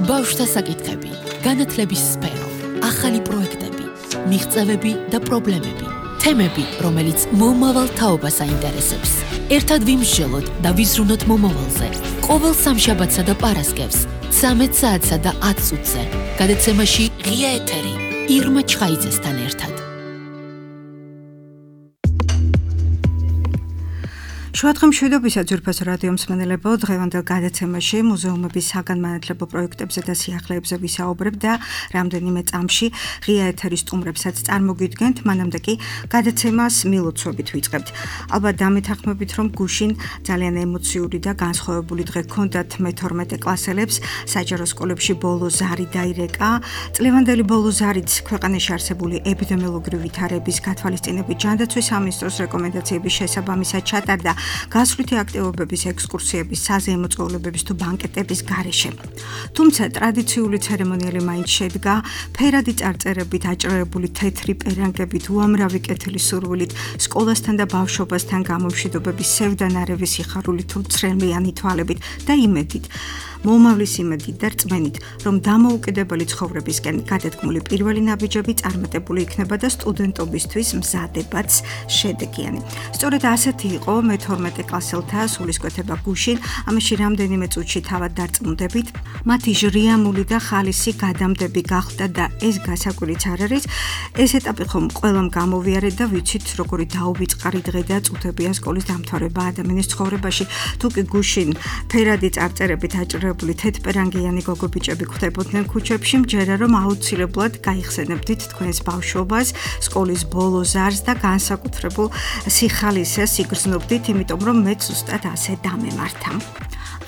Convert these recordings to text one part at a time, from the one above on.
ბავშვთა საკითხები, განათლების სფერო, ახალი პროექტები, მიღწევები და პრობლემები, თემები, რომელიც მომავალ თაობას აინტერესებს. ერთად ვიმსჯელოთ და ვიზრუნოთ მომავალზე. ყოველ სამშაბათსა და პარასკევს, 13 საათსა და 10 წუთზე. გადაცემაში ღია ეთერი, ირმა ჩხაიძესთან ერთად. შუადღე მშვიდობისა ძვირფას რადიო მსმენელებო, დღევანდელ გადაცემაში მუზეუმების საგანმანათლებლო პროექტებზე და სიახლეებზე ვისაუბრებ და რამდენიმე წამში ღია ეთერის სტუმრებსაც წარმოგიდგენთ, მანამდე კი გადაცემას მილოცვებით ვიწყებთ. ალბათ დამეთანხმებით, რომ გუშინ ძალიან ემოციური და განსხვავებული დღე ჰქონდათ მე-12 კლასელებს, საჯარო სკოლებში ბოლო ზარი დაირეკა. წლევანდელი ბოლო ზარიც ქვეყანაში არსებული ეპიდემიოლოგიური ვითარების გათვალისწინებით ჯანდაცვის სამინისტროს რეკომენდაციების შესაბამისად ჩატარდა გასვლითი აქტივობების, ექსკურსიების, საზეიმო წვეულებების თუ ბანკეტების გარეშე. თუმცა ტრადიციული ცერემონიალი მაინც შედგა ფერადი წარწერებით, აჭრევებული თეთრი პერანგებით, უამრავი კეთილი სურვილით, სკოლასთან და ბავშვობასთან გამომშვიდობების სევდანარევი სიხარული თუ ცრემლიანი თვალებით და იმედით, მომავლის იმედით და რწმენით, რომ დამოუკიდებელი ცხოვრებისკენ გადადგმული პირველი ნაბიჯები წარმატებული იქნება და სტუდენტობისთვის მზადებაც შედეგიანი. სწორედ ასეთი იყო მე-12 კლასელთა სულისკვეთება გუშინ, ამაში რამდენიმე წუთში თავად დარწმუნდებით, მათი ჟრიამული და ხალისი გადამდები გახდა და ეს გასაკვირიც არ არის. ეს ეტაპი ხომ ყველამ გამოვიარეთ და ვიცით, როგორი დაუვიწყარი დღე და წუთებია სკოლის დამთავრება ადამიანის ცხოვრებაში. თუ კი გუშინ ფერადი წარწერებით აჭრევებული თეთრპერანგიანი გოგობიჭები ხვდებოდნენ ქუჩებში, მჯერა რომ აუცილებლად გაიხსენებდით თქვენს ბავშვობას, სკოლის ბოლო ზარს და განსაკუთრებულ სიხალისეს იგრძნობდით, იმიტომ რომ მეც ზუსტად ასე დამემართა.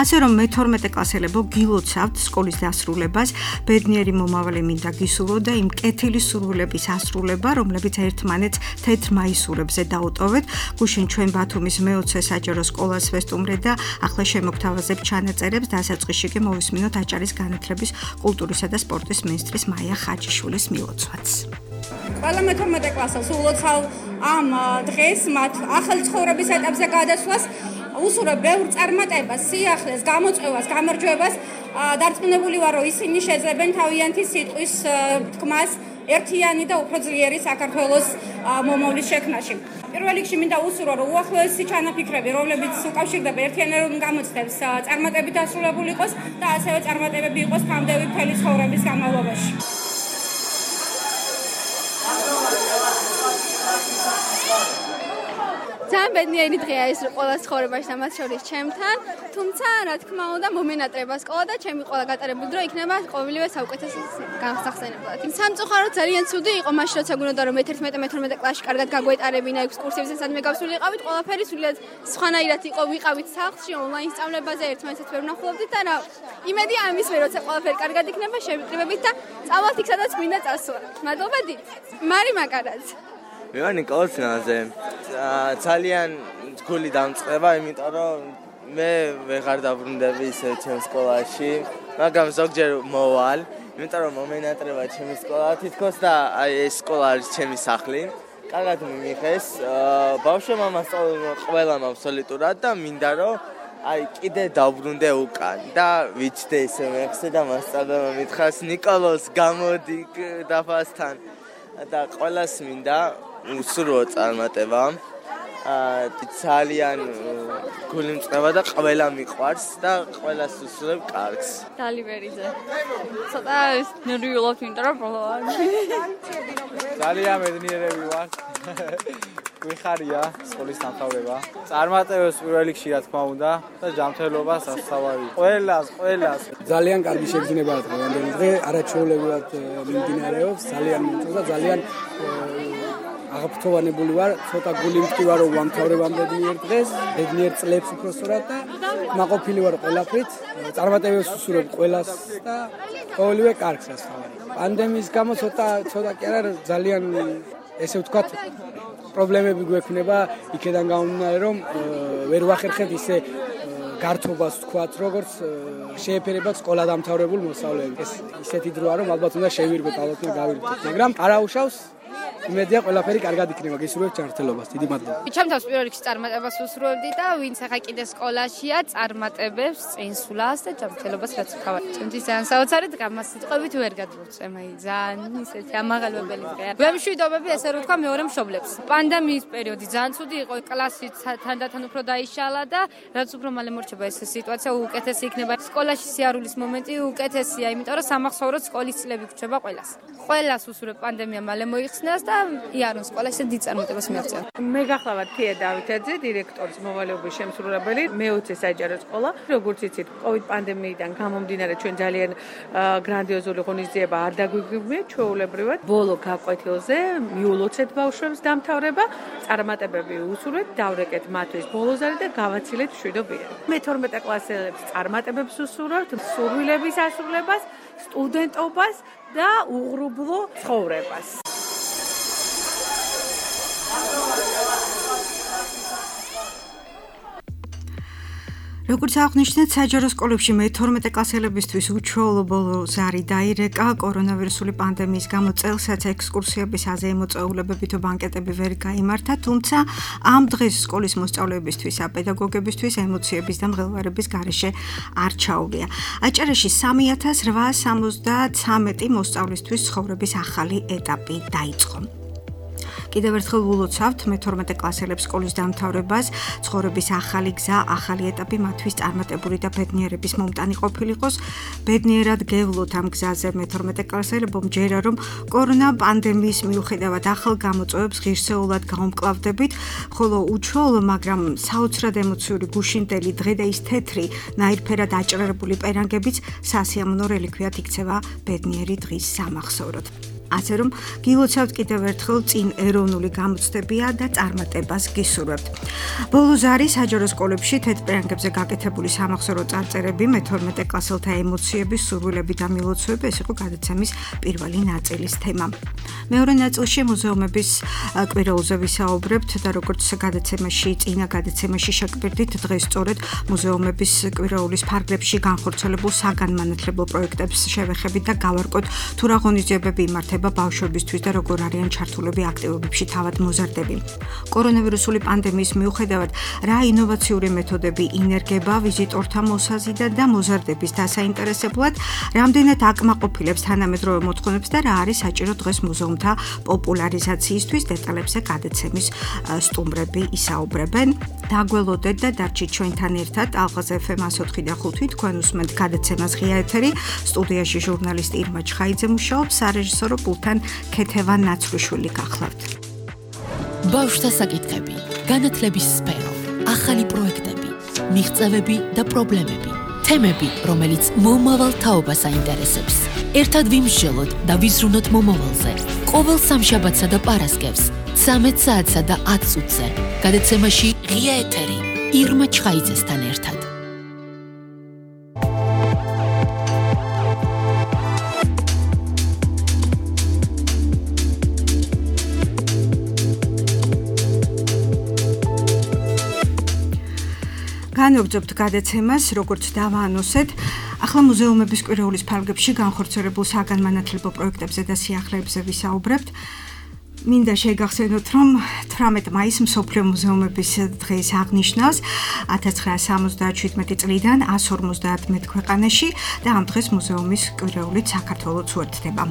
ასე რომ მე-12 კლასელებო გილოცავთ სკოლის დასრულებას, ბედნიერი მომავალი მინდა გისურვო და იმ კეთილი სურვილების ასრულება, რომლებიც ერთმანეთს თეთრ მაისურებზე დაუტოვეთ. გუშინ ჩვენ ბათუმის მე-20 საჯარო სკოლას ვესტუმრეთ და ახლა შემოგთავაზებთ ჩანაწერებს, დასაწყისში კი მოვისმინოთ აჭარის განათლების, კულტურისა და სპორტის მინისტრის მაია ხაჭიშვილის მილოცვაც. ყველა მე-12 კლასელს ულოცავ ამ დღეს მათ ახალი ცხოვრების ეტაპზე გადასვლას, უსურვებ ბევრ წარმატებას, სიახლეს, გამოწვევას, გამარჯვებას. დარწმუნებული ვარ, რომ ისინი შეძლებენ თავიანთი სიტყვის თქმას ერთიანი და უფრო ძლიერი საქართველოს მომავლის შექმნაში. პირველ რიგში მინდა უსურვო, რომ უახლოესი ჩანაფიქრები, რომლებიც უკავშირდება ერთიანერულ გამოცდებს, წარმატებით დასრულებული იყოს და ასევე წარმატებები იყოს ფამდევი მთელი ცხოვრების განმავლობაში. ძალიან ბედნიერი დღეა ეს ყოველას ცხოვრებაში და მათ შორის ჩემთან, თუმცა რა თქმა უნდა მომენატრება სკოლა და ჩემი ყველა გატარებული დრო იქნება ყოველივე საუკეთესო განსახსენებლად. სამწუხაროდ ძალიან ცუდი იყო მაშინ როცა გუნდოდა რომ მე-11 მე-12 კლასში კარგად გაგვეტარებინა ექსკურსიებზე სადმე გავსული იყავით, ყველაფერი სულად სხვანაირად იყო, ვიყავით სახლში ონლაინ სწავლებაზე, ერთმანეთს ვერ ვნახულობდით და რა იმედი ამის მე როცა ყველაფერი კარგად იქნება შევიკრიბებით და წავალთ იქ სადაც მინდა წასვლა. მადლობა დიდ. მარი მაკარაძ. მე ვარ ნიკოლოზ ნაზე. ძალიან გული დამწყება, იმიტომ რომ მე ვეღარ დაბრუნდები ისე ჩემ სკოლაში, მაგრამ ზოგჯერ მოვალ, იმიტომ რომ მომენატრება ჩემი სკოლა თითქოს და აი ეს სკოლა არის ჩემი სახლი. კარგად მიმიხეს, ბავშვებმა მასწავლებლმა ყველამ აბსოლუტურად და მინდა რომ აი კიდე დაბრუნდე უკან და ვიცდე ისე მეხსე და მასწავლებელმა მითხრას ნიკოლოზ გამოდი დაფასთან და ყველას მინდა უსურვო წარმატება. ძალიან გული მწყება და ყველა მიყვარს და ყველას უსურვებ კარგს. დალივერიძე. ცოტა ნერვიულობ, იმიტომ რომ პროლოა. ძალიან ბედნიერები ვართ. გვიხარია სკოლის დამთავრება. წარმატებებს პირველ რიგში რა თქმა უნდა და ჯანმრთელობას ასწავალი. ყველას. ძალიან კარგი შეგრძნება დღევანდელი დღე, არაჩვეულებრივად მიმდინარეობს, ძალიან მომწონს და ძალიან აღფრთოვანებული ვარ, ცოტა გული მტკივა რომ ვამთავრებამდე ბედნიერ დღეს, ბედნიერ წლებს უბრალოდ და მაყოფილი ვარ ყველაფრით, წარმატებებს უსურვებ ყველას და ყოველივე კარგს ასწავალი. პანდემიის გამო ცოტა კი არა ძალიან ესე ვთქვათ პრობლემები გვექნება იქედან გამომდინარე რომ ვერ ვახერხებ ისე გართობას ვთქვათ როგორც შეეფერებათ სკოლა დამთავრებულ მოსწავლეებს. ეს ისეთი დროა რომ ალბათ უნდა შევირბოთ, ალბათ უნდა გავირბოთ, მაგრამ არ აუშავს იმედია ყველაფერი კარგად იქნება, გისურვებთ ჯანმრთელობას. დიდი მადლობა. ჩემ თავს პირველ რიგში წარმატებას ვუსურვებდი და ვინც ახლა კიდე სკოლაშია, წარმატებებს, წინსვლას და ჯანმრთელობას რაც ვქავარ. ჩემთვის ძალიან საოცარი დღე, ამას სიტყვებით ვერ გადმოვწევ, აი ძალიან ისეთი ამაღელვებელი დღეა. ვემშვიდობები ესე რომ ვთქვა მეორე მშობლებს. პანდემიის პერიოდი ძალიან ცუდი იყო, კლასი თანდათან უფრო დაიშალა და რაც უფრო მალე მორჩება ეს სიტუაცია უკეთესი იქნება. სკოლაში სიარულის მომენტი უკეთესია, იმიტომ რომ სამახსოვროდ სკოლის წლები გვჩება ყველას. ყველას უსურვებ პანდემია მალე მოიხსნას და იარონ სკოლაში დიდ წარმატებას მიაღწია. მე გახლავართ თია დავითაძე, დირექტორის მოვალეობის შემსრულებელი, მე-20 საჯარო სკოლა. როგორც იცით, COVID პანდემიიდან გამომდინარე ჩვენ ძალიან გრანდიოზული ღონისძიება არ დაგვიგებია ჩვეულებრივად. ბოლო გაკვეთილზე მიულოცეთ ბავშვებს დამთავრება, წარმატებები უსურვეთ, დავრეკეთ მათთვის ბოლოზარი და გავაცილეთ მშვიდობიანი. მე-12 კლასელებს წარმატებებს უსურვებთ, სურვილების ასრულებას, სტუდენტობას და უღრუბლო ცხოვრებას. როგორც აღნიშნეთ, საჯარო სკოლებში მე-12 კლასელებისთვის უჩვეულო ბოლოზარი დაირეკა კორონავირუსული პანდემიის გამო წელსაც ექსკურსიების აზეიმო წვეულებები თუ ბანკეტები ვერ გაიმართა, თუმცა ამ დღეს სკოლის მოსწავლეებისთვის, პედაგოგებისთვის ემოციების და მღელვარების გარეშე არ ჩაუღია. აჭარაში 3873 მოსწავლისთვის ცხოვრების ახალი ეტაპი დაიწყო. კიდევ ერთხელ ვილოცავთ მე-12 კლასელებს სკოლის დამთავრებას, ცხოვრების ახალი გზა, ახალი ეტაპი მათთვის წარმატებული და ბედნიერების მომტანი ყოფილიყოს. ბედნიერად გევლოთ ამ გზაზე მე-12 კლასელებო, მჯერა რომ კორონა პანდემიის მიუხედავად ახალ გამოწვევებს ღირსეულად გაუმკლავდებით, ხოლო უჩვეულო, მაგრამ საოცრად ემოციური გუშინდელი დღე და ის თეთრი, ნაირფერად აჭრერებული პერანგებიც სასიამოვნო რელიქვიად იქცევა ბედნიერი დღის სამახსოვროდ. ასე რომ გილოცავთ კიდევ ერთხელ წინ ეროვნული გამოცდებია და წარმატებას გისურვებთ. ბოლოზარი საჯარო სკოლებში თეთრ-პერანგებზე გაკეთებული სამახსოვრო წარწერები, მე-12 კლასელთა ემოციები, სურვილები და მილოცვები, ეს იყო გადაცემის პირველი ნაწილის თემა. მეორე ნაწილში მუზეუმების კვირაულზე ვისაუბრებთ და როგორც გადაცემაში, წინა გადაცემაში შეგპირდით, დღეს სწორედ მუზეუმების კვირაულის ფარგლებში განხორციელებულ საგანმანათლებლო პროექტებს შევეხებით და გავარკვევთ თუ რა ღონისძიებები იმართება ბავშვებისთვის და როგორ არიან ჩართულები აქტივობებში თავად მოზარდები. კორონავირუსული პანდემიის მიუხედავად, რა ინოვაციური მეთოდები ინერგება ვიზიტორთა მოსაზიდად და მოზარდების დასაინტერესებლად, რამდენად აკმაყოფილებს თანამედროვე მოთხოვნებს და რა არის საჭირო დღეს მუზეუმთა პოპულარიზაციისთვის, დეტალებზე გადაცემის სტუმრები ისაუბრებენ. დაგველოდეთ და დარჩით ჩვენთან ერთად ალღაზ FM 104 და 5 თქვენ უსმენთ გადაცემას ღია ეთერი. სტუდიაში ჟურნალისტი ირმა ჩხაიძე მუშაობს, სარეჟისორო პულტთან ქეთევან ნაცრუშვილი გახლავთ. ბავშვთა საკითხები, განათლების სფერო, ახალი პროექტები, მიღწევები და პრობლემები, თემები, რომელიც მომავალ თაობას აინტერესებს. ერთად ვიმსჯელოთ და ვიზრუნოთ მომავალზე. ყოველ სამშაბათსა და პარასკევს, 13 საათსა და 10 წუთზე. გადაცემაში ღია ეთერი ირმა ჩხაიძესთან ერთად. განვაგრძობთ გადაცემას, როგორც დავაანონსეთ, ახლა მუზეუმების კვირაულის ფარგლებში განხორციელებულ საგანმანათლებლო პროექტებზე და სიახლეებზე ვისაუბრებთ. მინდა შეგახსენოთ, რომ 18 მაისს მსოფლიო მუზეუმების დღეს აღნიშნავს 1977 წლიდან 150 ქვეყანაში და ამ დღეს მუზეუმის კვირაულით საქართველოც უერთდება.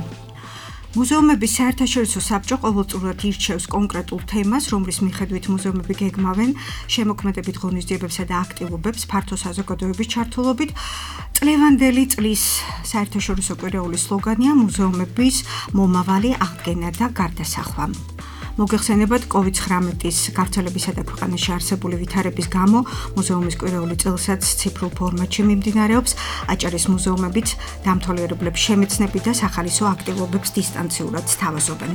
მუზეუმების საერთაშორისო საბჭო ყოველწლიურად ირჩევს კონკრეტულ თემას, რომლის მიხედვით მუზეუმები გეგმავენ შემოქმედებით ღონისძიებებსა და აქტივობებს ფართო საზოგადოების ჩართულობით. წლევანდელი წლის საერთაშორისო კვირაულის სლოგანია მუზეუმების მომავალი აღდგენა და გარდასახვა. მოგეხსენებათ, COVID-19-ის გავრცელებისა და ქვეყანაში არსებული ვითარების გამო მუზეუმის კვირაული წელსაც ციფრულ ფორმატში მიმდინარეობს. აჭარის მუზეუმებიც დამთვალიერებლებს შემეცნებით და სახალისო აქტივობებს დისტანციურად სთავაზობენ.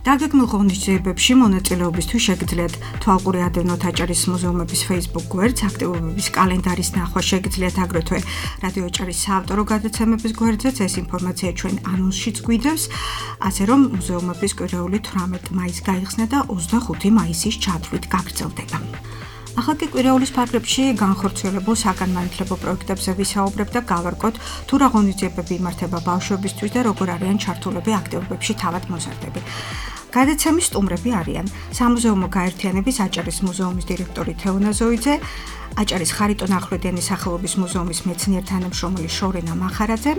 დაგეგმილ ღონისძიებებში მონაწილეობისთვის შეგიძლიათ თვალყური ადევნოთ აჭარის მუზეუმების Facebook გვერდს, აქტივობების კალენდარის ნახვა შეგიძლიათ აგრეთვე რადიო აჭარის საავტორო გადაცემების გვერდზეც, ეს ინფორმაცია ჩვენ ანონსშიც გვიდევს, ასე რომ მუზეუმების კვირაული 18 მაისს გაიხსნა და 25 მაისის ჩათვლით გაგრძელდება. ახლა კი კვირაულის ფარგლებში განხორციელებულ საგანმანათლებლო პროექტებზე ვისაუბრებთ და გავარკვევთ თუ რა ღონისძიებები იმართება ბავშვებისთვის და როგორ არიან ჩართულები აქტივობებში თავად მოზარდები. გადაცემის სტუმრები არიან სამუზეუმო გაერთიანების აჭარის მუზეუმის დირექტორი თეონა ზოიძე, აჭარის ხარიტონ ახვლედიანის სახელობის მუზეუმის მეცნიერ თანამშრომელი შორენა მახარაძე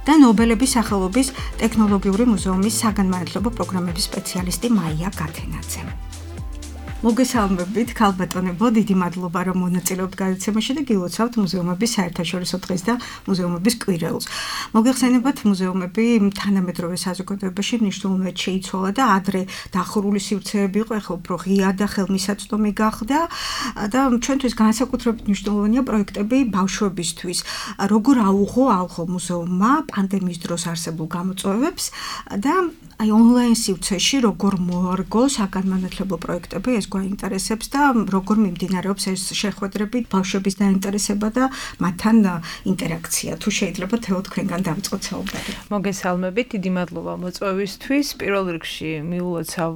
და ნობელების სახელობის ტექნოლოგიური მუზეუმის საგანმანათლებლო პროგრამების სპეციალისტი მაია გათენაძე. მოგესალმებით, ქალბატონებო, დიდი მადლობა, რომ მონაწილეობთ გადაცემაში და გილოცავთ მუზეუმების საერთაშორისო დღეს და მუზეუმების კვირეულს. მოგეხსენებათ, მუზეუმები თანამედროვე საზოგადოებაში მნიშვნელოვნად შეიცვალა და ადრე დახურული სივრცეები იყო, ახლა უფრო ღია და ხელმისაწვდომი გახდა და ჩვენთვის განსაკუთრებით მნიშვნელოვანია პროექტები ბავშვებისთვის. როგორ აუღო მუზეუმმა პანდემიის დროს არსებულ გამოწვევებს და აი ონლაინ სივრცეში როგორ მოარგო საგანმანათლებლო პროექტები, ეს გვაინტერესებს და როგორ მიმდინარეობს ეს შეხვედრები, ბავშვების დაინტერესება და მათთან ინტერაქცია. თუ შეიძლება თეო თქვენგან დავიწყოთ საუბარი. მოგესალმებით, დიდი მადლობა მოწვევისთვის. პირველ რიგში მიულოცავ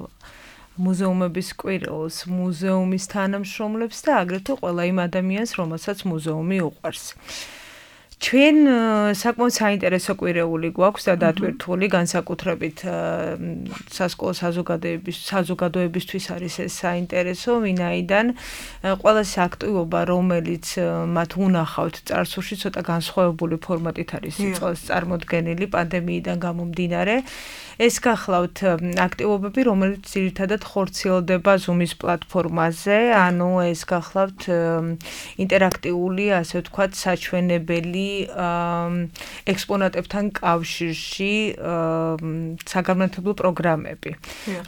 მუზეუმების კვირეულს, მუზეუმის თანამშრომლებს და აგრეთვე ყველა იმ ადამიანს, რომელსაც მუზეუმი უყვარს. ჩვენ საკმაოდ საინტერესო კვირეული გვაქვს და დატვირთული განსაკუთრებით სასკოლო საზოგადოებისთვის არის ეს საინტერესო, ვინაიდან ყველა აქტივობა, რომელიც მათ უნახავთ წარსულში, ცოტა განსხვავებული ფორმატით არის წარმოდგენილი პანდემიიდან გამომდინარე. ეს გახლავთ აქტივობები, რომელიც ძირითადად ხორციელდება Zoom-ის პლატფორმაზე, ანუ ეს გახლავთ ინტერაქტიული, ასე ვთქვათ, საჩვენებელი ექსპონატებთან კავშირში საგანმანათლებლო პროგრამები,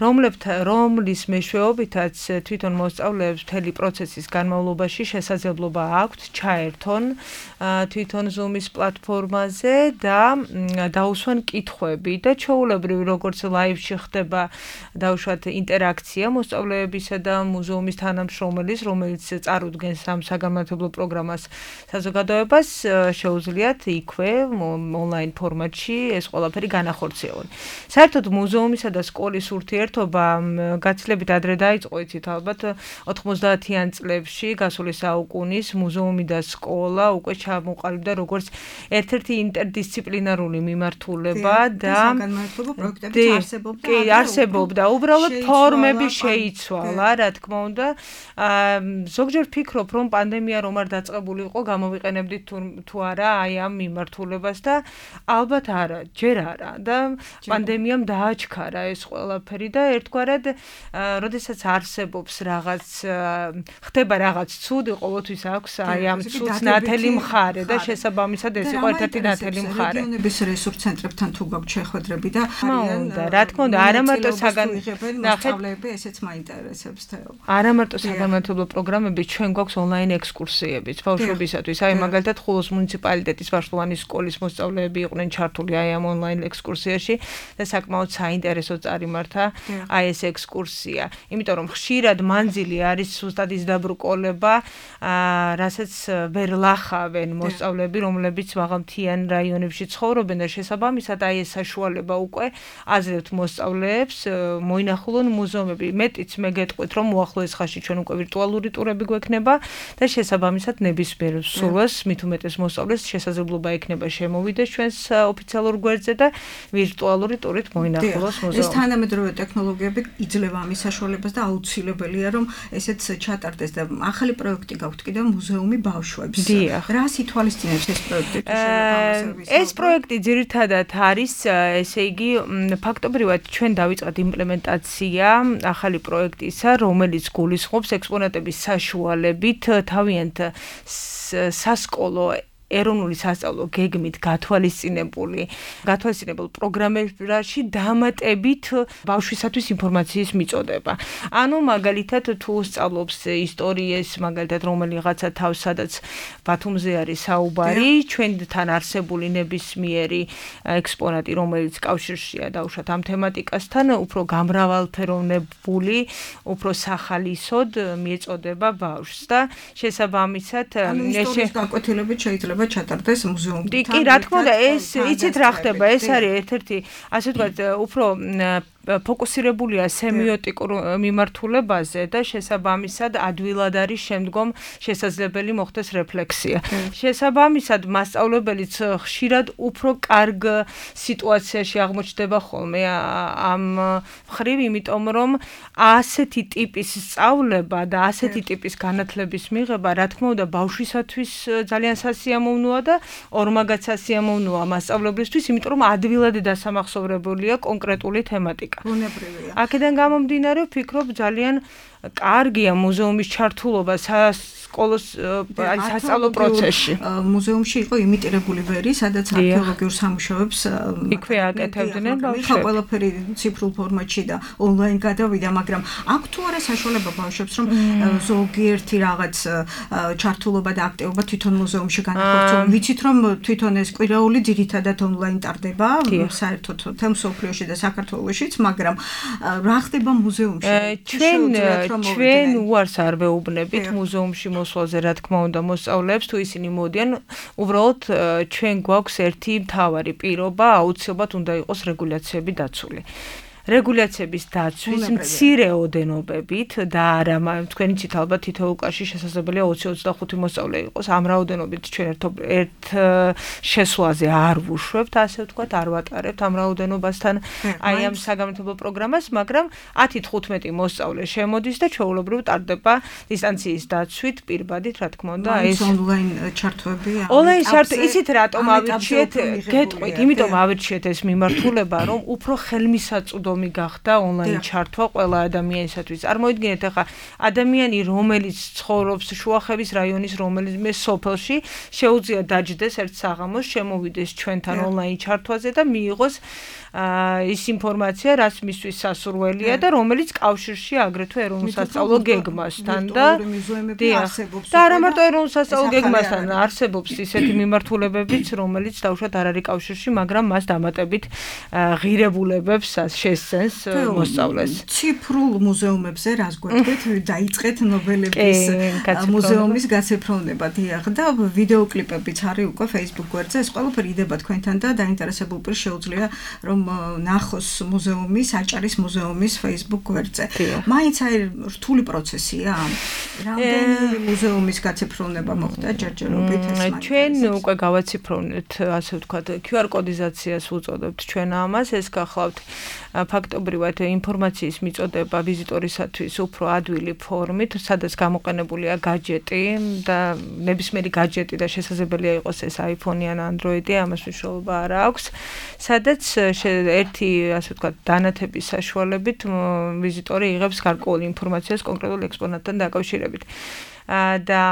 რომლის მეშვეობითაც თვითონ მოსწავლეებს მთელი პროცესის განმავლობაში შესაძლებლობა აქვთ ჩაერთონ თვითონ Zoom-ის პლატფორმაზე და დაუსვან კითხვები და ჩვეულებრივ როგორც ლაივში ხდება დაუშვათ ინტერაქცია მოსწავლეებისა და მუზეუმის თანამშრომელის, რომელიც წარუდგენს ამ საგანმანათლებლო პროგრამას საზოგადოებას, შეუძლიათ იქვე ონლაინ ფორმატში ეს ყველაფერი განახორციელონ. საერთოდ მუზეუმისა და სკოლის ურთიერთობა გაცილებით ადრე დაიწყო, იცით ალბათ 90-იან წლებში გასული საუკუნის მუზეუმი და სკოლა უკვე ჩამოყალიბდა როგორც ერთ-ერთი ინტერდისციპლინარული მიმართულება და არსებობდა, უბრალოდ ფორმები შეიცვალა, რა თქმა უნდა. ზოგჯერ ვფიქრობ, რომ პანდემია რომ არ დაწყებული იყო, გამოვიყენებდით თუ არა აი ამ მიმართულებას და ალბათ არა, ჯერ არა და პანდემიამ დააჩქარა ეს ყველაფერი და ერთგვარად, როდესაც არსებობს რაღაც, ხდება რაღაც ცუდი, ყოველთვის აქვს აი ამ ცუდს ნათელი მხარე და შესაბამისად ეს იყო ერთ-ერთი ნათელი მხარე. რეგიონების რესურს ცენტრებთან თუ გაქვთ შეხვედრები და რა თქმა უნდა, არა მარტო მოსწავლეები, ესეც მაინტერესებს თეო. არა მარტო საგანმანათლებლო პროგრამები, ჩვენ გვაქვს ონლაინ ექსკურსიებიც ბავშვებისათვის. აი მაგალითად ხულოს მუნიციპალიტეტის ვაშლოვანის სკოლის მოსწავლეები იყვნენ ჩართული აი ამ ონლაინ ექსკურსიაში და საკმაოდ საინტერესო წარიმართა აი ეს ექსკურსია. იმიტომ რომ ხშირად მანძილი არის ზუსტად ის დაბრკოლება, რასაც ვერ ლახავენ მოსწავლეები, რომლებიც მაღალმთიან რაიონებში ცხოვრობენ და შესაბამისად აი ეს საშუალება უკვე აზრევთ მოსწავლეებს მოინახულონ მუზეუმები. მეტიც მე გეტყვით, რომ უახლოეს ხანში ჩვენ უკვე ვირტუალური ტურები გვექნება და შესაბამისად ნებისმიერ სურვილს მით უმეტეს მოსწავლეს შესაძლებლობა ექნება შემოვიდეს ჩვენს ოფიციალურ გვერდზე და ვირტუალური ტურით მოინახულოს მუზეუმი. ეს თანამედროვე ტექნოლოგიები იძლევა ამის საშუალებას და აუცილებელია, რომ ესეც ჩატარდეს და ახალი პროექტი გაქვთ კიდევ მუზეუმი ბავშვებს. რას ითვალისწინებს ეს პროექტი? ეს პროექტი ძირითადად არის, ესე იგი, ფაქტობრივად ჩვენ დავიწყეთ იმპლემენტაცია ახალი პროექტისა, რომელიც გულისხმობს ექსპონატების საშუალებით თავიანთ სასკოლო ეროვნული სასწავლო გეგმით გათვალისწინებულ პროგრამებში დამატებით ბავშვისათვის ინფორმაციის მიწოდება. ანუ მაგალითად თუ სწავლობს ისტორიას, მაგალითად რომელიღაცა თავს, სადაც ბათუმზე არის საუბარი, ჩვენთან არსებული ნებისმიერი ექსპონატი, რომელიც კავშირშია დაუშვათ ამ თემატიკასთან, უფრო გამრავალფეროვნებული, უფრო სახალისოდ მიეწოდება ბავშვს და შესაბამისად ისტორიის გაკვეთილებით შეიძლება ჩატარდეს მუზეუმთან. კი, რა თქმა უნდა, ეს იცით რა ხდება, ეს არის ერთ-ერთი, ასე ვთქვათ, უფრო ფოკუსირებულია სემიოტიკურ მიმართულებაზე და შესაბამისად ადვილად არის შემდგომ შესაძლებელი მოხდეს რეფლექსია. შესაბამისად მასწავლებელიც ხშირად უფრო კარგ სიტუაციაში აღმოჩნდება ხოლმე ამ მხრივ, იმიტომ რომ ასეთი ტიპის სწავლება და ასეთი ტიპის განათლების მიღება, რა თქმა უნდა, ბავშვისათვის ძალიან სასიამოვნოა და ორმაგად სასიამოვნოა მასწავლებლისთვის, იმიტომ რომ ადვილად დასამახსოვრებულია კონკრეტული თემატიკა. ბუნებრივია. აქედან გამომდინარე, ვფიქრობ, ძალიან კარგია მუზეუმის ჩართულობა სკოლის სასწავლო პროცესში. მუზეუმში იყო იმიტირებული ვერი, სადაც არქეოლოგიურ სამუშაოებს იქვე აკეთებდნენ ბავშვები. ყველაფერი ციფრულ ფორმატში და ონლაინ გადავიდა, მაგრამ აქვს თუ არა საშუალება ბავშვებს, რომ ზოგიერთი რაღაც ჩართულობა და აქტივობა თვითონ მუზეუმში განახორციელონ. ვიცით, რომ თვითონ ეს კვირაული ძირითადად ონლაინ ტარდება, საერთოდ თემ სოფლიოში და საქართველოშიც, მაგრამ რა ხდება მუზეუმში? ჩვენ უარს არ ვეუბნებით მუზეუმში მოსვლაზე, რა თქმა უნდა, მოსწავლეებს თუ ისინი მოდიან, უბრალოდ ჩვენ გვაქვს ერთი მთავარი პირობა, აუცილებლად უნდა იყოს რეგულაციები დაცული. რეგულაციების დაცვის მცირე ოდენობებით და არა თქვენი ცით ალბათ თითოეულ კლასში შესაძლებელია 20-25 მოსწავლე იყოს. ამ რაოდენობით ჩვენ ერთ შესვლაზე არ ვუშვებთ, ასე ვთქვათ, არ ვატარებთ ამ რაოდენობასთან აი ამ საგანმანათლებლო პროგრამას, მაგრამ 10-15 მოსწავლე შემოდის და ჩვეულებრივ ტარდება დისტანციის დაცვით, პირბადით, რა თქმა უნდა, ეს ონლაინ ჩართვებია. ონლაინ ჩართვები ისიც რატომ ავირჩიეთ? გეტყვით, იმიტომ ავირჩიეთ ეს მიმართულება, რომ უფრო ხელმისაწვდომი გახდა ონლაინ ჩართვა ყველა ადამიანისათვის. წარმოიდგინეთ, ახლა ადამიანი, რომელიც ცხოვრობს შუახევის რაიონის რომელიმე სოფელში, შეუძლია დაჯდეს ერთ საღამოს, შემოვიდეს ჩვენთან ონლაინ ჩართვაზე და მიიღოს ის ინფორმაცია, რაც მისთვის სასურველია და რომელიც კავშირში აგრეთვე ეროვნულ სასწავლო გეგმასთან და არა მარტო ეროვნულ სასწავლო გეგმასთან არსებობს ისეთი მიმართულებებიც, რომელიც დაუშვათ არ არის კავშირში, მაგრამ მას დამატებით ღირებულებებს შესცენს მოსწავლეს. ციფრულ მუზეუმებზე რას გვეტყვით? დაიწყეთ ნობელების მუზეუმის გაცეფროვნება, დიახ, და ვიდეო კლიპებიც არის უკვე Facebook გვერდზე. ეს ყველაფერი იდება თქვენთან და დაინტერესებულ პირს შეუძლია რომ ნახოს მუზეუმის, აჭარის მუზეუმის Facebook გვერდზე. მაინც აი რთული პროცესია. რამდენი მუზეუმის გაცეფროვნება მოხდა ჯერჯერობით ეს? ჩვენ უკვე გავაციფროვნეთ, ასე ვთქვათ, QR კოდიზაციას უწოდებთ ჩვენ ამას, ეს გახლავთ ფაქტობრივად ინფორმაციის მიწოდება ვიზიტორისათვის უფრო ადვილი ფორმით, სადაც გამოყენებულია гаджеტი და ნებისმიერი гаджеტი და შესაძლებელია იყოს ეს iPhone-ი ან Android-ი, ამას მნიშვნელობა არ აქვს, სადაც ერთი, ასე ვთქვათ, დანათების საშუალებით ვიზიტორი იღებს გარკვეული ინფორმაციას კონკრეტულ ექსპონატთან დაკავშირებით. და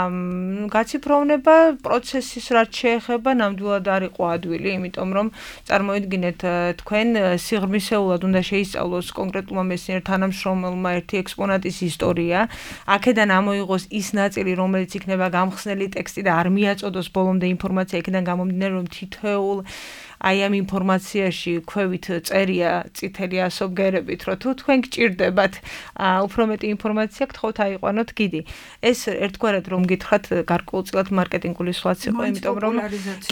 გაციფროვნება პროცესის რაც შეეხება ნამდვილად არ იყო ადვილი, იმიტომ რომ წარმოიდგინეთ თქვენ სიღრმისეულად უნდა შეისწავლოს კონკრეტულმა მეცნიერ თანამშრომელმა ერთი ექსპონატის ისტორია, აქედან ამოიღოს ის ნაწილი, რომელიც იქნება გამხსნელი ტექსტი და არ მიაწოდოს ბოლომდე ინფორმაცია, იქიდან გამომდინარე რომ თითოეულ აი ამ ინფორმაციაში ქვევით წერია წითელი ასობგერებით, რომ თუ თქვენ გჭირდებათ უფრო მეტი ინფორმაცია, გთხოვთ აიყვანოთ გიდი. ეს ერთგვარად რომ გითხრათ გარკვეულწილად მარკეტინგული სხვაც იყო, იმიტომ რომ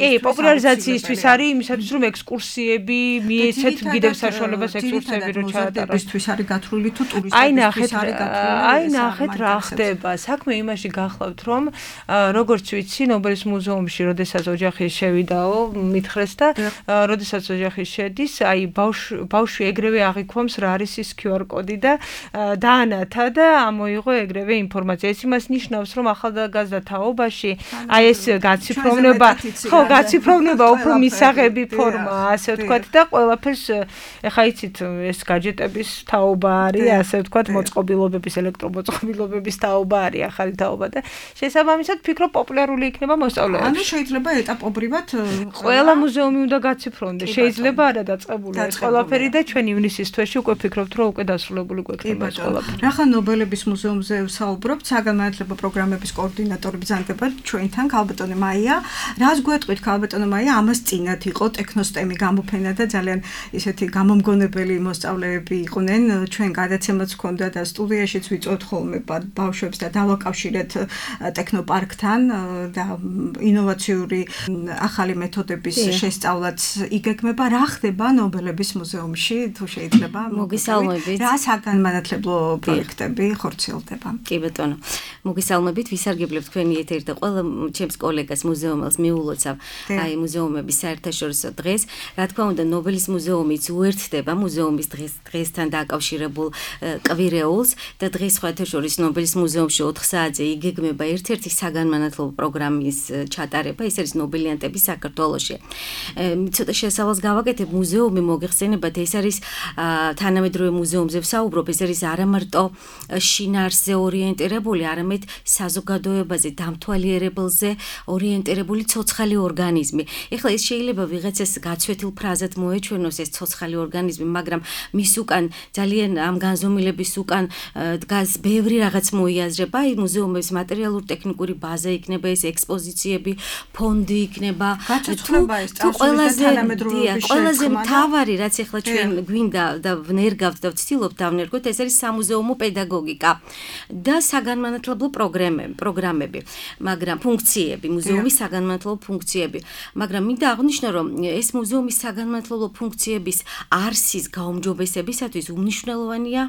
კი, პოპულარიზაციისთვის არის, იმისათვის რომ ექსკურსიები მიეცეთ გიდებს საშუალებას ექსკურსიები რო ჩაატაროს. თვის არის გათვლილი თუ ტურისტებისთვის არის გათვლილი. აი ნახეთ რა ხდება. საქმე იმაში გახლავთ, რომ როგორც ვიცი, ნობელის მუზეუმში, როდესაც ოჯახი შევიდაო, მითხრეს და როდესაც ოჯახი შედის, აი ბავშვი ეგრევე აღიქვამს რა არის ის QR კოდი და დაანათა და ამოიღო ეგრევე ინფორმაცია. ეს იმას ნიშნავს, რომ ახალგაზრდა თაობაში აი ეს გაციფროვნება, ხო, გაციფროვნება უფრო მისაღები ფორმაა, ასე ვთქვათ და ყველაფერს ეხა იცით, ეს гаджеტების თაობა არის, ასე ვთქვათ, მოწყობილობების, ელექტრომოწყობილობების თაობა არის, ახალი თაობა და შესაბამისად ფიქრობ პოპულარული იქნება მოსწავლეებში. ანუ შეიძლება ეტაპობრივად ყველა მუზეუმი უნდა გაციფრონდეს. შეიძლება არა დაწყებული ეს ყველაფერი და ჩვენ ივნისის თვეში უკვე ფიქრობთ, რომ უკვე დასრულებული გვექნება ეს ყველაფერი. რახან ნობელების მუზეუმზე ვსაუბრობთ, საგანმანათლებლო პროგრამების კოორდინატორი ბრძანდება ჩვენთან ქალბატონი მაია. რას გვეტყვით ქალბატონი მაია? ამას წინათ იყო ტექნოსტემი გამოფენა და ძალიან ისეთი გამომგონებელი მოსწავლეები იყვნენ. ჩვენ გადაცემაც ჰქონდა და სტუდიაშიც ვიწვევთ ხოლმე ბავშვებს და დავაკავშირეთ ტექნოპარკთან და ინოვაციური ახალი მეთოდების შესწავლად როდესაც იგეგმება რა ხდება ნობელების მუზეუმში თუ შეიძლება მოგესალმებით რა საგანმანათლებლო პროექტები ხორციელდება კი ბატონო მოგესალმებით ვისარგებლებ თქვენი ეთერი და ყველა ჩემს კოლეგას მუზეუმელს მიულოცავ აი მუზეუმების საერთაშორისო დღეს რა თქმა უნდა ნობელის მუზეუმიც უერთდება მუზეუმის დღესთან დაკავშირებულ კვირეულს და დღეს საერთაშორისო ნობელის მუზეუმში 4 საათზე იგეგმება ერთ-ერთი საგანმანათლებლო პროგრამის ჩატარება ეს არის ნობელიანტები საქართველოში ცოტა შესავალს გავაკეთებ მუზეუმი მოგეხსენებათ ეს არის თანამედროვე მუზეუმზე ვსაუბრობ ეს არის არა მარტო შინაარსზე ორიენტირებული არამედ საზოგადოებაზე დამთვალიერებელზე ორიენტირებული ცოცხალი ორგანიზმი ეხლა ეს შეიძლება ვიღაცას გაცვეთილ ფრაზად მოეჩვენოს ეს ცოცხალი ორგანიზმი მაგრამ მის უკან ძალიან ამ განზომილების უკან დგას ბევრი რაღაც მოიაზრება აი მუზეუმის მატერიალურ-ტექნიკური ბაზა იქნება ეს ექსპოზიციები ფონდი იქნება თუ ყველაზე მთავარი რაც ეხლა ჩვენ გვინდა და ვნერგავთ და ვცდილობთ დავნერგოთ ეს არის სამუზეუმო პედაგოგიკა და საგანმანათლებლო პროგრამები მაგრამ ფუნქციები მუზეუმის საგანმანათლებლო ფუნქციები მაგრამ მინდა აღვნიშნო რომ ეს მუზეუმის საგანმანათლებლო ფუნქციების არსის გაუმჯობესებისათვის უმნიშვნელოვანია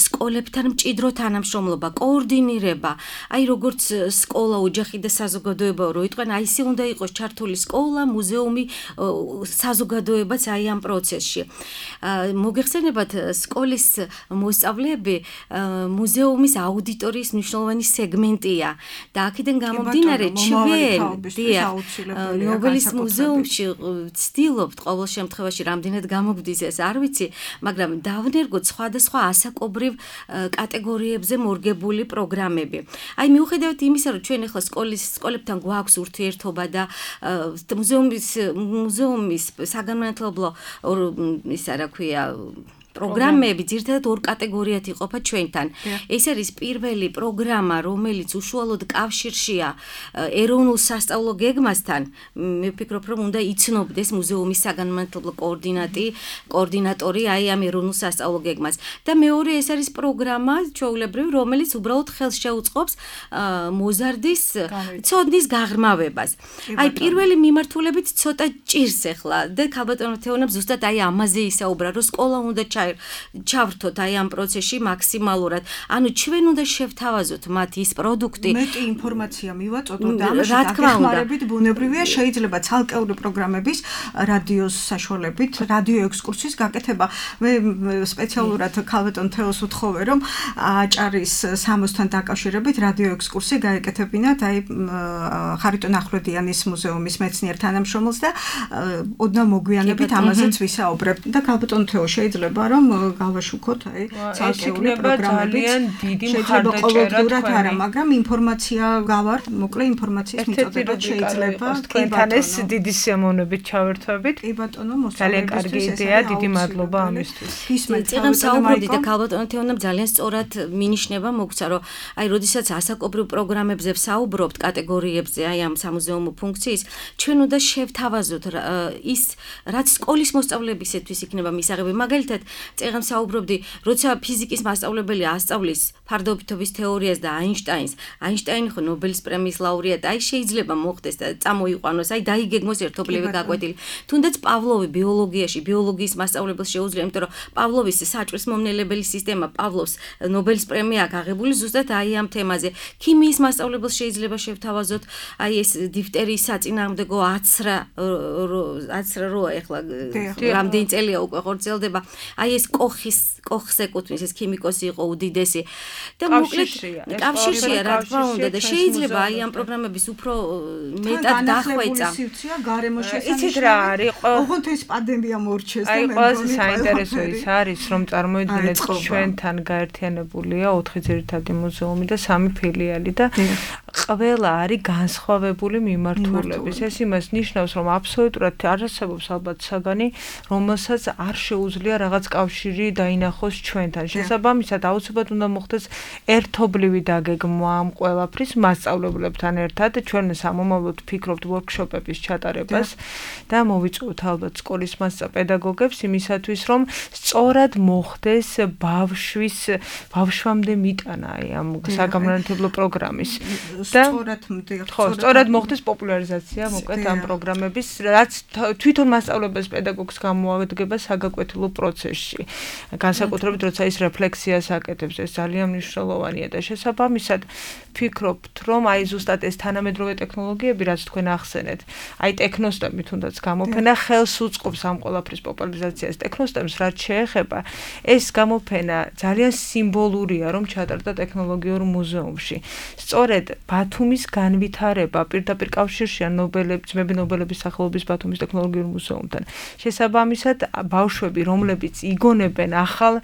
სკოლებთან მჭიდრო თანამშრომლობა კოორდინირება აი როგორც სკოლა ოჯახი და საზოგადოება რო იტყვიან აი ისე უნდა იყოს ჩართული სკოლა მუზეუმი საზოგადოებაც აი ამ პროცესში მოგეხსენებათ სკოლის მოსწავლეები მუზეუმის აუდიტორიის მნიშვნელოვანი სეგმენტია და აქედან გამომდინარე ჩვენ ნობელის მუზეუმში ვცდილობთ ყოველ შემთხვევაში რამდენად გამოგვდის ეს არ ვიცი მაგრამ დავნერგოთ სხვადასხვა ასაკობრივ კატეგორიებზე მორგებული პროგრამები აი მიუხედავად იმისა რომ ჩვენ ახლა სკოლებთან გვაქვს ურთიერთობა და მუზეუმის საგანმანათლებლო ისა რა ქვია პროგრამები ძირითადად ორ კატეგორიად იყოფა ჩვენთან. ეს არის პირველი პროგრამა, რომელიც უშუალოდ კავშირშია ეროვნულ სასწავლო გეგმასთან. მე ვფიქრობ, რომ უნდა იცნობდეს მუზეუმის საგანმანათლებლო კოორდინატორი აი ამ ეროვნულ სასწავლო გეგმას. და მეორე ეს არის პროგრამა, ჩვეულებრივი, რომელიც უბრალოდ ხელს შეუწყობს მოზარდის ცოდნის გაღრმავებას. აი პირველი მიმართულებით ცოტა ჭირს ახლა და ქალბატონო თეონამ ზუსტად აი ამაზე ისაუბრა, რომ სკოლა უნდა ჩავრთოთ აი ამ პროცესში მაქსიმალურად. ანუ ჩვენ უნდა შევთავაზოთ მათ ის პროდუქტი. მეტი ინფორმაცია მივაწოდოთ და ამაში დაგეხმარებით ბუნებრივია შეიძლება ცალკეული პროგრამების რადიოს საშუალებით, რადიო ექსკურსიის გაკეთება. მე სპეციალურად ქალბატონ თეოს ვთხოვე, რომ აჭარის სამოსთან დაკავშირებით რადიო ექსკურსია გაეკეთებინათ აი ხარიტონ ახვლედიანის მუზეუმის მეცნიერ თანამშრომელს და ოდნავ მოგვიანებით ამაზეც ვისაუბრებთ და ქალბატონ თეო შეიძლება რომ გავაშუქოთ აი ცალკეული პროგრამები ძალიან დიდი მხარდაჭერა არა მაგრამ ინფორმაცია გავართ მოკლე ინფორმაციის მიწოდება შეიძლება თქვენთან ეს დიდი სიამოვნებით ჩავერთვებით კი ბატონო ძალიან კარგი იდეა დიდი მადლობა ამისთვის წეგან საუბრობდი და ქალბატონო თეონამ ძალიან სწორად მინიშნება მოგცა რომ აი როდესაც ასაკობრივ პროგრამებზე ვსაუბრობთ კატეგორიებზე აი ამ სამუზეუმო ფუნქციის ჩვენ უნდა შევთავაზოთ ის რაც სკოლის მოსწავლეებისათვის იქნება მისაღები მაგალითად წეგან საუბრობდი როცა ფიზიკის მასწავლებელი ასწავლის ფარდობითობის თეორიას და აინშტაინი ხო ნობელის პრემიის ლაურეატი აი შეიძლება მოხდეს და წამოიყვანოს აი დაიგეგმოს ერთობლივი გაკვეთილი თუნდაც პავლოვი ბიოლოგიაში ბიოლოგიის მასწავლებელს შეუძლია იმიტომ რომ პავლოვის საჭვრის მომნელებელი სისტემა პავლოვს ნობელის პრემია აქვს აღებული ზუსტად აი ამ თემაზე ქიმიის მასწავლებელს შეიძლება შევთავაზოთ აი ეს დიფტერიის საწინააღმდეგო აცრა რო ეხლა რამდენი წელია უკვე ხორციელდება აი ეს კოხს ეკუთვნის ეს ქიმიკოსი იყო უდიდესი და მოკლედ კავშირშია რა თქმა უნდა და შეიძლება აი ამ პროგრამების უფრო მეტად დახვეწა გარემო შესანიშნავი იცით რა არის ოღონდ ეს პანდემია მორჩეს და აი ყველაზე საინტერესო ის არის რომ წარმოიდგინეთ ჩვენთან გაერთიანებულია 4 ძირითადი მუზეუმი და 3 ფილიალი და ყველა არის განსხვავებული მიმართულების ეს იმას ნიშნავს რომ აბსოლუტურად არ არსებობს ალბათ საგანი რომელსაც არ შეუძლია რაღაც კავშირი დაინახოს ჩვენთან. შესაბამისად, აუცილებლად უნდა მოხდეს ერთობლივი დაგეგმვა ამ ყველაფრის მასწავლებლებთან ერთად. ჩვენ სამომავლოდ ვფიქრობთ ვორქშოპების ჩატარებას და მოვიწვევთ ალბათ სკოლის მასწავლებლებს იმისათვის, რომ სწორად მოხდეს ბავშვამდე მიტანა ამ საგამონათლებლო პროგრამის და სწორად მოხდეს პოპულარიზაცია მოკლედ ამ პროგრამების, რაც თვითონ მასწავლებლებს პედაგოგს გამოადგება საგაკვეთილო პროცესში. განსაკუთრებით როცა ის რეფლექსიას აკეთებს, ეს ძალიან მნიშვნელოვანია და შესაბამისად ვფიქრობთ, რომ აი ზუსტად ეს თანამედროვე ტექნოლოგიები, რაც თქვენ ახსენეთ, აი ტექნოსტემი თუნდაც გამოფენა ხელს უწყობს ამ ყველაფრის პოპულარიზაციას. ტექნოსტემს რაც შეეხება, ეს გამოფენა ძალიან სიმბოლურია, რომ ჩატარდა ტექნოლოგიურ მუზეუმში. სწორედ ბათუმის განვითარება პირდაპირ კავშირშია ძმები ნობელების სახელობის ბათუმის ტექნოლოგიურ მუზეუმთან. შესაბამისად, ბავშვები, რომლებიც იგონებენ ახალ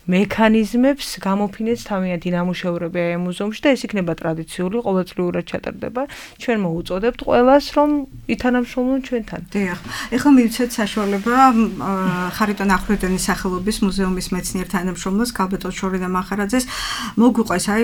მექანიზმებს, გამოფინეს თავიანთი ნამუშევრები ამ მუზეუმში და ეს იქნება ტრადიციული, ყოველწლიურად ჩატარდება. ჩვენ მოუწოდებთ ყველას, რომ ითანამშრომლონ ჩვენთან. დიახ. ეხლა მივცეთ საშუალება ხარიტონ ახვლედენის სახელობის მუზეუმის მეცნიერ თანამშრომლოს ქალბატონ შორენა მახარაძეს მოგვიყვეს აი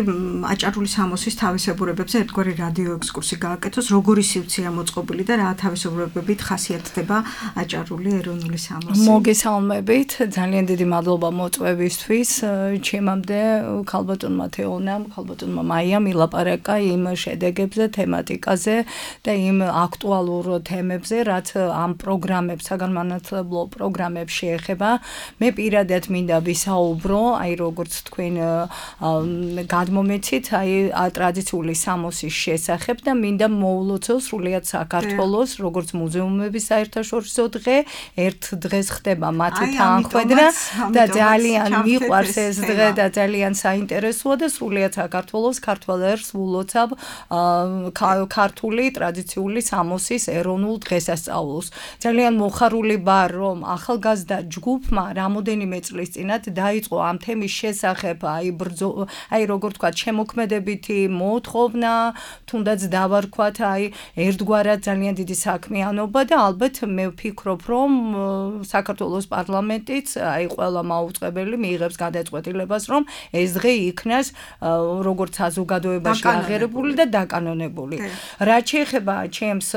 აჭარული სამოსის თავისებურებებზე ერთგვარი რადიო ექსკურსი გააკეთოს, როგორი სივრცეა მოწყობილი და რა თავისებურებებით ხასიათდება აჭარული ეროვნული სამოსი. მოგესალმებით, ძალიან დიდი მადლობა მოწვევისთვის. ჩემამდე ქალბატონმა თეონამ, ქალბატონმა მაიამ ილაპარაკა იმ შედეგებზე, თემატიკაზე და იმ აქტუალურ თემებზე, რაც ამ პროგრამებს, საგანმანათლებლო პროგრამებს შეეხება. მე პირადად მინდა ვისაუბრო, აი როგორც თქვენ გადმომეცით, აი ტრადიციული სამოსის შესახებ და მინდა მოულოცო სრულიად საქართველოს, როგორც მუზეუმების საერთაშორისო დღე, ერთ დღეს ხდება მათი თანხმედრა და ძალიან მიყვარს ეს დღე და ძალიან საინტერესოა და სრულიად საქართველოს ქართველებს ვულოცავ ქართული ტრადიციული სამოსის ეროვნულ დღესასწაულს. ძალიან მოხარული ვარ, რომ ახალგაზრდა ჯგუფმა რამოდენიმე წლის წინათ დაიწყო ამ თემის შესახებ აი როგორ თქვა შემოქმედებითი მოთხოვნა, თუნდაც დავარქვათ აი ერთგვარად ძალიან დიდი საქმიანობა და ალბათ მე ვფიქრობ, რომ საქართველოს პარლამენტიც აი ყველა მაუწყებელი მიიღებს გადაწყვეტილებას, რომ ეს დღე იქნას როგორც საზოგადოებაში აღიარებული და დაკანონებული. რაც შეეხება ჩემს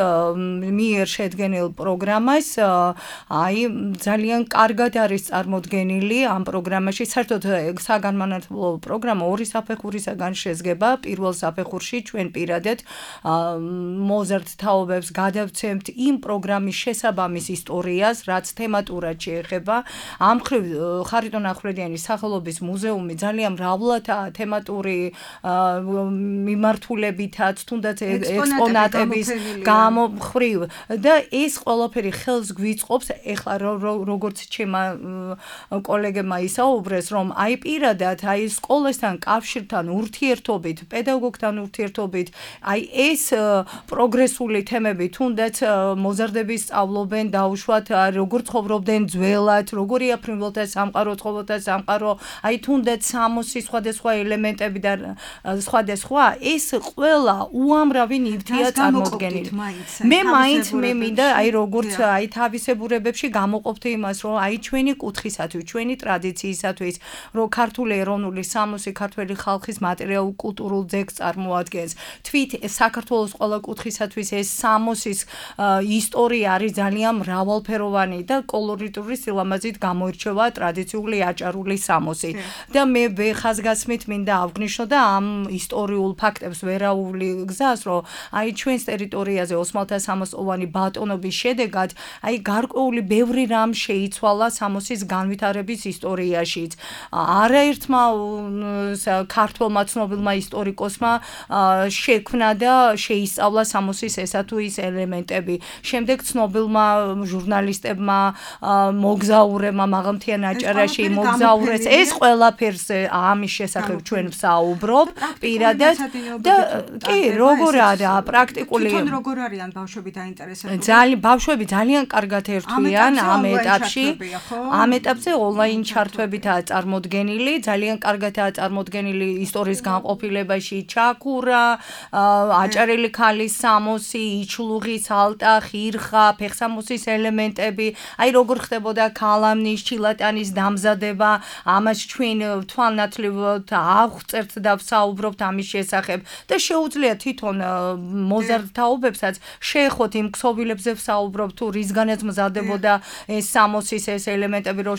მიერ შედგენილ პროგრამას, აი ძალიან კარგად არის წარმოდგენილი ამ პროგრამაში. საერთოდ საგანმანათლებლო პროგრამა ორი საფეხურისაგან შედგება. პირველ საფეხურში ჩვენ პირადად მოზარდ თაობებს გადავცემთ იმ პროგრამის შესაბამის ისტორიას, რაც თემატურად შეეხება. ამ მხრივ ხარიტონ ახვლედიანის სახელობის მუზეუმი ძალიან მრავლადაა თემატური მიმართულებითაც, თუნდაც ექსპონატების გამომხრივ და ეს ყველაფერი ხელს გვიწყობს, ეხლა როგორც ჩემმა კოლეგებმა ისაუბრეს, რომ აი პირადად აი სკოლასთან კავშირთან ურთიერთობით, პედაგოგთან ურთიერთობით, აი ეს პროგრესული თემები, თუნდაც მოზარდები სწავლობენ დაუშვათ, როგორ ცხოვრობდნენ ძველად, როგორია ფრინველთა სამყარო, ცხოველთა სამყარო, აი თუნდაც სამოსის სხვადასხვა ელემენტები და სხვადასხვა, ეს ყველა უამრავი ნივთია წარმოდგენილი. მე მინდა აი როგორც აი თავისებურებებში გამოყოფთ იმას, რომ აი ჩვენი კუთხისათვის, ჩვენი ტრადიციისათვის, რომ ქართული ეროვნული სამოსი ქართველი ხალხის მატერიალურ-კულტურულ ძეგლს წარმოადგენს. თვით საქართველოს ყველა კუთხისათვის ეს სამოსის ისტორია არის ძალიან მრავალფეროვანი და კოლორიტური სილამაზით გამოირჩევა ტრადიციული აჭარული სამოსი. და მე ხაზგასმით მინდა ავღნიშნო და ამ ისტორიულ ფაქტებს ვერაული გზას, რომ აი ჩვენს ტერიტორიაზე ოსმალთა სამოსოვანი ბატონობის შედეგად აი გარკვეული ბევრი რამ შეიცვალა სამოსის განვითარების ისტორიაშიც. არაერთმა ქართველმა ცნობილმა ისტორიკოსმა შექმნა და შეისწავლა სამოსის ესა თუ ის ელემენტები. შემდეგ ცნობილმა ჟურნალისტებმა, მოგზაურებმა მაღალმთიან აჭარაში მოგზაურობდნენ უბრალოდ ეს ყველაფერს ამის შესახებ ჩვენ ვსაუბრობ პირადად და კი როგორ არა პრაქტიკული თვითონ როგორ არიან ბავშვები დაინტერესებული ძალიან ბავშვები ძალიან კარგად ერთვიან ამ ეტაპში ამ ეტაპზე ონლაინ ჩართვებითაა წარმოდგენილი ძალიან კარგადაა წარმოდგენილი ისტორიის განყოფილებაში ჩაქურა აჭარელი ქალის სამოსი იჩლუღის ალტა ხირხა ფეხსამოსის ელემენტები აი როგორ ხდებოდა ქალამნის ჩილატანის დამზადება ამას ჩვენ თვალნათლივად აღვწერთ და ვსაუბრობთ ამის შესახებ და შეუძლია თვითონ მოზარდთაობებსაც შეეხოთ იმ ქსოვილებზე ვსაუბრობ თუ რისგანაც მზადდებოდა ეს სამოსის ეს ელემენტები რომ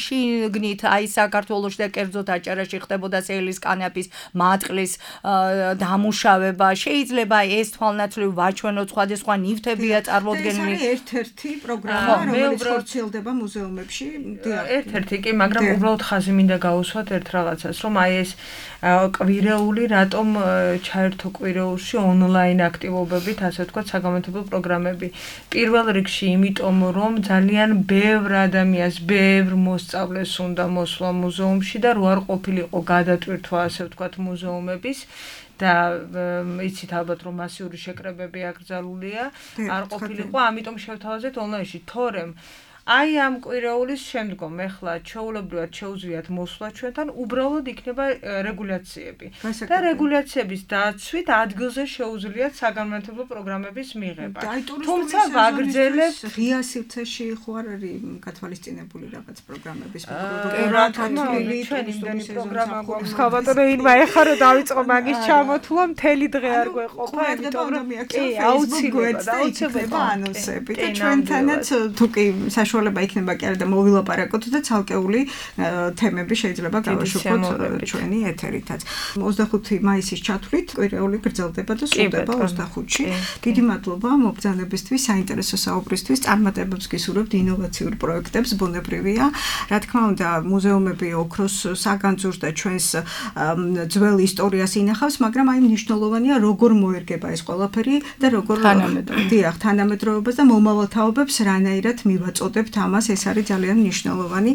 შიგნით აი საქართველოში და კერძოდ აჭარაში ხდებოდა სელის კანაფის მატყლის დამუშავება შეიძლება ეს თვალნათლივ ვაჩვენოთ სხვადასხვა ნივთებია წარმოდგენილი ეს ერთ-ერთი პროგრამა რომელიც ხორციელდება მუზეუმებში ერთ-ერთი კი მაგრამ უბრალოდ ხაზი მინდა გაუსვათ ერთ რაღაცას რომ აი ეს კვირეული რატომ ჩაერთო კვირეულში ონლაინ აქტივობებით ასე ვთქვათ საგამომთბო პროგრამები პირველ რიგში იმიტომ რომ ძალიან ბევრ ადამიანს ბევრ მოსწავლეს უნდა მოსვლა მუზეუმში და რო არ ყოფილიყო გადატვირთვა ასე ვთქვათ მუზეუმების და იცით ალბათ რომ მასიური შეკრებები აკრძალულია არ ყოფილიყო ამიტომ შევთავაზეთ ონლაინში თორემ აი ამ კვირეულის შემდგომ ეხლა ჩაულებრივად შეუძლიათ მოსვლა ჩვენთან უბრალოდ იქნება რეგულაციები და რეგულაციების დაცვით ადგილზე შეუძლიათ საგანმანათლებლო პროგრამების მიღება თუმცა ვაგრძელებ ღია სივრცეში ხო არ არის გათვალისწინებული რაღაც პროგრამების ჩვენ იმდენი პროგრამა გვაქვს ხავატონო ინმა ეხლა რომ დავიწყო მაგის ჩამოთვლა მთელი დღე არ გვეყოფა იმიტომ რომ აუცილებლად ანონსები და ჩვენთანაც თუ კი საშუალება იქნება კი არა და მოვილაპარაკოთ და ცალკეული თემები შეიძლება გავაშუქოთ ჩვენი ეთერითაც. 25 მაისის ჩათვლით კვირეული გრძელდება და სრულდება 25-ში. დიდი მადლობა მობრძანებისთვის, საინტერესო საუბრისთვის, წარმატებებს გისურვებთ ინოვაციურ პროექტებს, ბუნებრივია. რა თქმა უნდა, მუზეუმები ოქროს საგანძურს და ჩვენს ძველ ისტორიას ინახავს, მაგრამ აი მნიშვნელოვანია როგორ მოერგება ეს ყველაფერი და როგორ თანამედროვეობას და მომავალ თაობებს რანაირად მივაწოდებთ ამას ეს არის ძალიან მნიშვნელოვანი.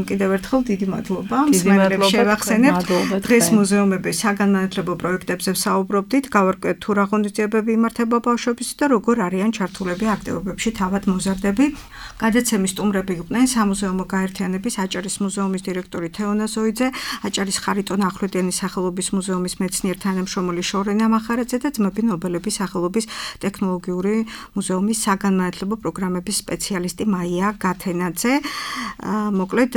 კიდევ ერთხელ დიდი მადლობა. მსმენელებს შევახსენებთ. დღეს მუზეუმების საგანმანათლებლო პროექტებზე ვსაუბრობდით. გავარკვიეთ თუ რა ღონისძიებები იმართება ბავშვების და როგორ არიან ჩართულები აქტივობებში თავად მოზარდები. გადაცემის სტუმრები იყვნენ სამუზეუმო გაერთიანების აჭარის მუზეუმის დირექტორი თეონა ზოიძე, აჭარის ხარიტონ ახვლედიანის სახელობის მუზეუმის მეცნიერ თანამშრომელი შორენა მახარაძე და ძმები ნობელების სახელობის ტექნოლოგიური მუზეუმის საგანმანათლებლო პროგრამების სპეციალისტი მაია გათენაძე. მოკლედ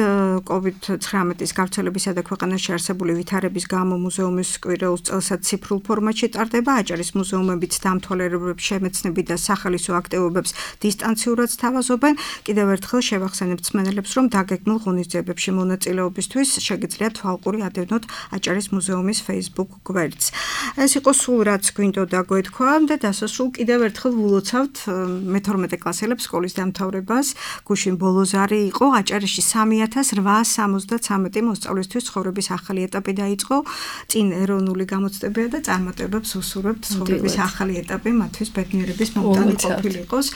COVID-19-ის გავრცელებისა და ქვეყანაში არსებული ვითარების გამო მუზეუმის კვირეულს წელსაც ციფრულ ფორმატში ტარდება. აჭარის მუზეუმებიც დამთვალიერებლებს შემეცნები და სახალისო აქტივობებს დისტანციურად სთავაზობენ. კიდევ ერთხელ შევახსენებთ მსმენელებს, რომ დაგეგმილ ღონისძიებებში მონაწილეობისთვის შეგიძლიათ თვალყური ადევნოთ აჭარის მუზეუმის Facebook გვერდს. ეს იყო სულ რაც გვინდოდა გვეთქვა და დასასრულ კიდევ ერთხელ ვილოცავთ მე-12 კლასელებს სკოლის დამთავრებას. გუშინ ბოლოზარი იყო აჭარაში 3873 მოსწავლისთვის ცხოვრების ახალი ეტაპი დაიწყო. წინ ეროვნული გამოცდებია და წარმატებებს უსურვებთ ცხოვრების ახალი ეტაპი მათთვის ბედნიერების მომდანი ყოფილიყოს.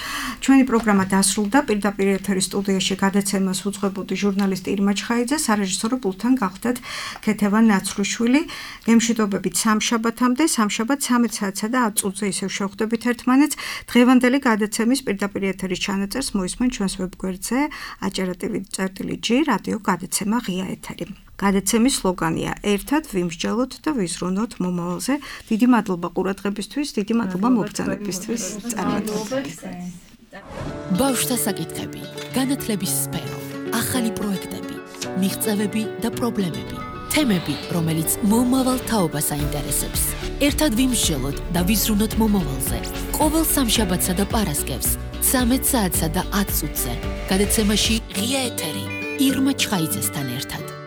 ჩვენი პროგრამა დასრულდა. პირდაპირ ეთერის სტუდიაში გადაცემას უძღვებოდი ჟურნალისტი ირმა ჩხაიძე, სარეჟისორო პულტთან გავხდათ ქეთევან ნაცრუშვილი. გემშვიდობებით სამშაბათამდე, სამშაბათ 13 საათსა და 10 წუთზე ისევ შევხვდებით ერთმანეთს. დღევანდელი გადაცემის პირდაპირ ეთერის ჩანაწერს მოისმენ ჩვენს ვებგვერდზე aჭara.tv.g რადიო გადაცემა ღია ეთერი. გადაცემის სლოგანია ერთად ვიმსჯელოთ და ვიზრუნოთ მომავალზე. დიდი მადლობა ყურადღებისთვის, დიდი მადლობა მობრძანებისთვის. წარმატებებს. ბავშვთა საკითხები, განათლების სფერო, ახალი პროექტები, მიღწევები და პრობლემები, თემები, რომელიც მომავალ თაობას აინტერესებს. ერთად ვიმსჯელოთ და ვიზრუნოთ მომავალზე. ყოველ სამშაბათსა და პარასკევს 13 საათსა და 10 წუთზე. გადაცემაში ღია ეთერი ირმა ჩხაიძესთან ერთად.